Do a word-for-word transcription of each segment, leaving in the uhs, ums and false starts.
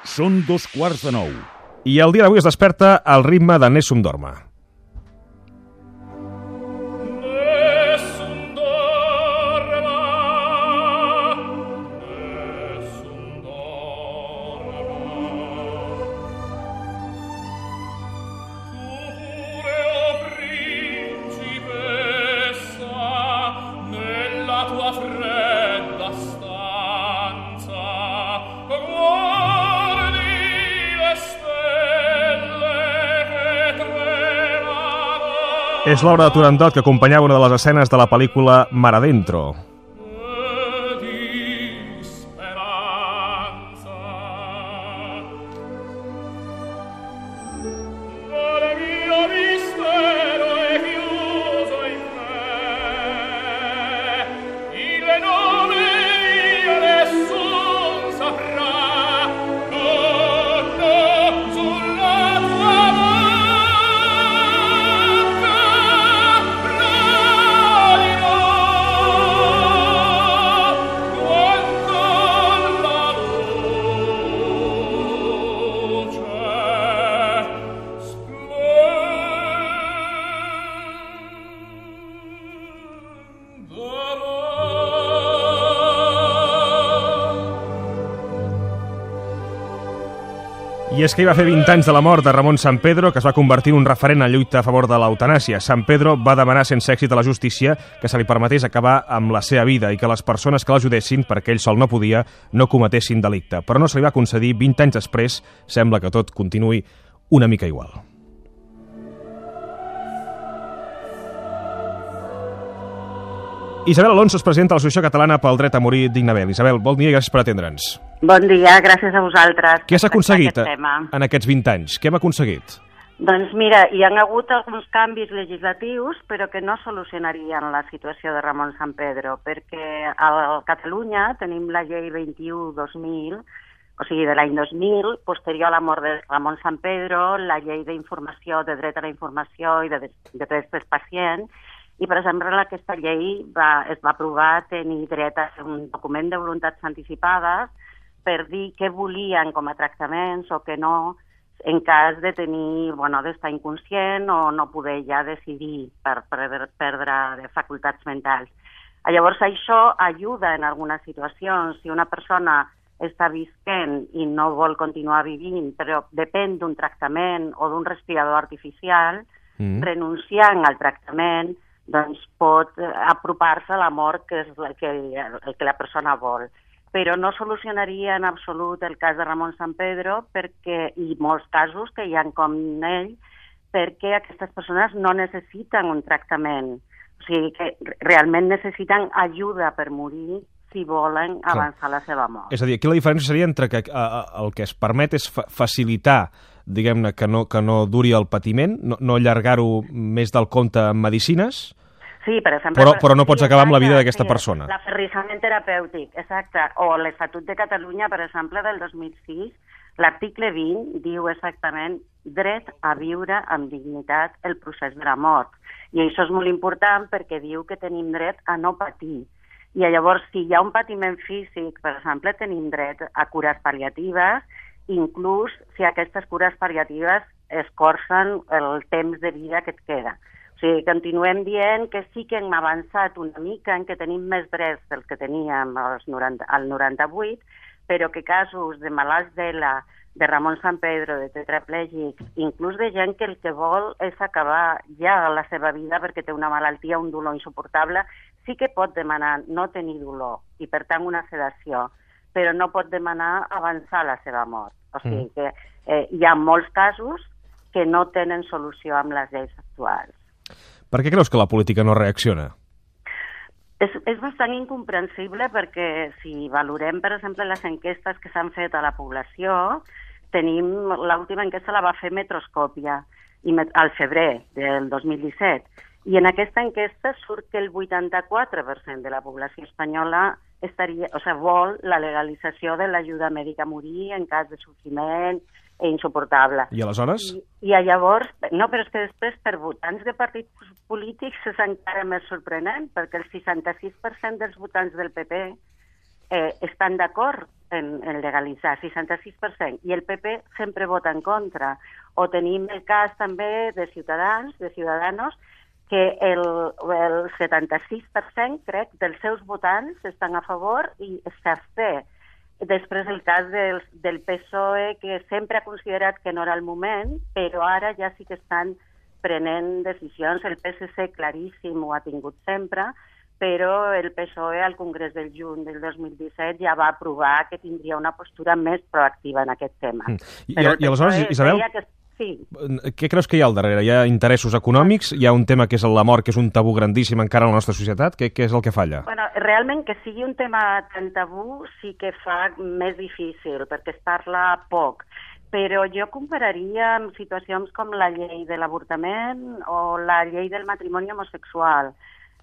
Són dos quarts de nou. I el dia d'avui es desperta al ritme de Nessun Dorma. És l'obra de Turandot que acompanyava una de les escenes de la pel·lícula Mar Adentro. I és que hi va fer vint anys de la mort de Ramon Sampedro, que es va convertir en un referent en lluita a favor de l'eutanàsia. Sampedro va demanar sense èxit a la justícia que se li permetés acabar amb la seva vida i que les persones que l'ajudessin, perquè ell sol no podia, no cometessin delicte. Però no se li va concedir. vint anys després sembla que tot continuï una mica igual. Isabel Alonso es presenta a l'Associació Catalana pel Dret a Morir Dignament. Isabel, bon dia i gràcies per atendre'ns. Bon dia, gràcies a vosaltres. Què s'ha aconseguit en aquests vint anys? Què hem aconseguit? Doncs mira, hi ha hagut alguns canvis legislatius, però que no solucionarien la situació de Ramon Sampedro, perquè a Catalunya tenim la llei vint-i-u dos mil, o sigui, de l'any dos mil, posterior a la mort de Ramon Sampedro, la llei d'informació, de dret a la informació i de, de drets dels pacients, i, per exemple, aquesta llei va, es va aprovar tenir dret a fer un document de voluntats anticipades per dir què volien com a tractaments o què no, en cas de tenir, bueno, d'estar inconscient o no poder ja decidir per, per perdre de facultats mentals. Llavors, això ajuda en algunes situacions. Si una persona està visquent i no vol continuar vivint, però depèn d'un tractament o d'un respirador artificial, mm. renunciant al tractament, doncs pot apropar-se a la mort, que és el que, el que la persona vol. Però no solucionaria en absolut el cas de Ramon Sampedro, perquè, i molts casos que hi ha com ell, perquè aquestes persones no necessiten un tractament. O sigui, que realment necessiten ajuda per morir si volen avançar Clar. la seva mort. És a dir, aquí la diferència seria entre que uh, el que es permet és fa facilitar, diguem-ne, que no, que no duri el patiment, no, no allargar-ho més del compte en medicines, Sí, per exemple, però, però no pots sí, acabar amb la vida d'aquesta sí, persona. L'aferrissament terapèutic, exacte. O l'Estatut de Catalunya, per exemple, del dos mil sis, l'article vint diu exactament dret a viure amb dignitat el procés de la mort. I això és molt important perquè diu que tenim dret a no patir. I llavors, si hi ha un patiment físic, per exemple, tenim dret a cures pal·liatives, inclús si aquestes cures pal·liatives escorcen el temps de vida que et queda. O sigui, continuem dient que sí que hem avançat una mica, en que tenim més drets del que teníem als noranta, al noranta-vuit, però que casos de malalts d'ELA, de Ramon Sampedro, de tetraplègics, inclús de gent que el que vol és acabar ja la seva vida perquè té una malaltia, un dolor insuportable, sí que pot demanar no tenir dolor i, per tant, una sedació, però no pot demanar avançar la seva mort. O sigui que eh, hi ha molts casos que no tenen solució amb les lleis actuals. Per què creus que la política no reacciona? És, és bastant incomprensible perquè si valorem, per exemple, les enquestes que s'han fet a la població, tenim l'última enquesta la va fer Metroscòpia i al febrer del dos mil disset, i en aquesta enquesta surt que el vuitanta-quatre per cent de la població espanyola estaria, o sigui, vol la legalització de l'ajuda mèdica a morir en cas de sofriment insuportable. I aleshores? I, I llavors, no, però és que després per votants de partits polítics és encara més sorprenent, perquè el seixanta-sis per cent dels votants del P P eh, estan d'acord en, en legalitzar, seixanta-sis per cent, i el P P sempre vota en contra. O tenim el cas també de Ciutadans, de Ciudadanos, que el, el setanta-sis per cent, crec, dels seus votants estan a favor i s'absté. Després el cas del, del P S O E, que sempre ha considerat que no era el moment, però ara ja sí que estan prenent decisions. El P S C claríssim ho ha tingut sempre, però el P S O E al Congrés del juny del dos mil disset ja va aprovar que tindria una postura més proactiva en aquest tema. Mm. I, i, i aleshores, Isabel, que... sí. Què creus que hi ha al darrere? Hi ha interessos econòmics? Hi ha un tema que és la mort, que és un tabú grandíssim encara a la nostra societat? Què, què és el que falla? Bueno, realment que sigui un tema tan tabú sí que fa més difícil, perquè es parla poc. Però jo compararia amb situacions com la llei de l'avortament o la llei del matrimoni homosexual.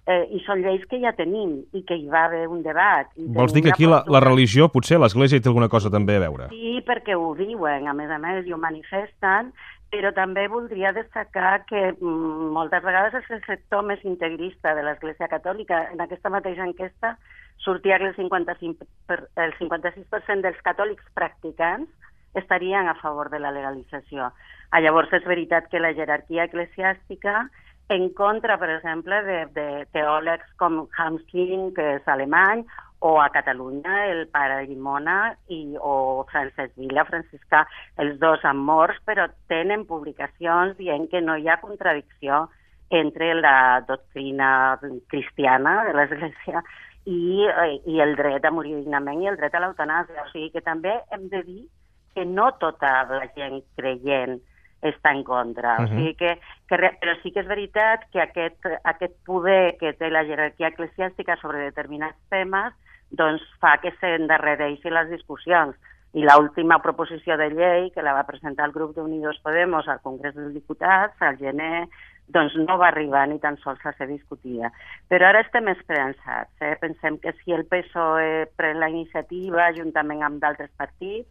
Eh, I són lleis que ja tenim i que hi va haver un debat. I vols dir que aquí la, la religió, potser l'Església hi té alguna cosa també a veure? Sí, perquè ho diuen, a més a més, i ho manifesten, però també voldria destacar que mm, moltes vegades és el sector més integrista de l'Església Catòlica. En aquesta mateixa enquesta sortia que el cinquanta-cinc per, el cinquanta-sis per cent dels catòlics practicants estarien a favor de la legalització. Ah, llavors és veritat que la jerarquia eclesiàstica, en contra, per exemple, de, de teòlegs com Hamsking, que és alemany, o a Catalunya el pare Llimona i, o Francesc Vila, franciscà, els dos han morts, però tenen publicacions dient que no hi ha contradicció entre la doctrina cristiana de l'Església i, i el dret a morir dignament i el dret a l'eutanàsia. O sigui que també hem de dir que no tota la gent creient està en contra. Uh -huh. O sigui que, que, però sí que és veritat que aquest, aquest poder que té la jerarquia eclesiàstica sobre determinats temes doncs fa que s'endarrereixin les discussions. I l'última proposició de llei que la va presentar el grup d'Unidos Podemos al Congrés dels Diputats, al gener, doncs no va arribar ni tan sols a ser discutida. Però ara estem esperançats. Eh? Pensem que si el P S O E pren la iniciativa juntament amb d'altres partits,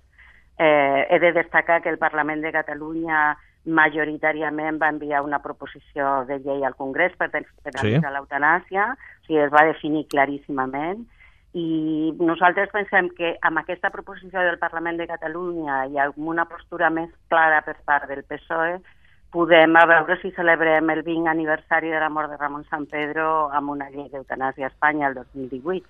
Eh, he de destacar que el Parlament de Catalunya majoritàriament va enviar una proposició de llei al Congrés per penalitzar sí. l'eutanàsia, o sigui, es va definir claríssimament, i nosaltres pensem que amb aquesta proposició del Parlament de Catalunya i amb una postura més clara per part del P S O E, podem a veure si celebrem el vint aniversari de la mort de Ramon Sampedro amb una llei d'eutanàsia a Espanya el dos mil divuit.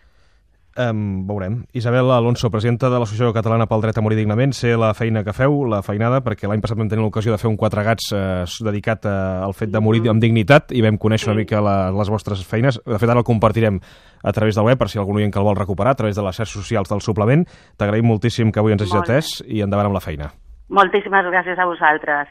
Um, veurem. Isabel Alonso, presidenta de l'Associació Catalana pel Dret a Morir Dignament, sé la feina que feu, la feinada, perquè l'any passat vam tenir l'ocasió de fer un quatre gats eh, dedicat a, al fet de morir amb dignitat i vam conèixer una mica la, les vostres feines. De fet, ara el compartirem a través del web, per si algun oient que el vol recuperar, a través de les xarxes socials del suplement. T'agraïm moltíssim que avui ens hagis atès i endavant amb la feina. Moltíssimes gràcies a vosaltres.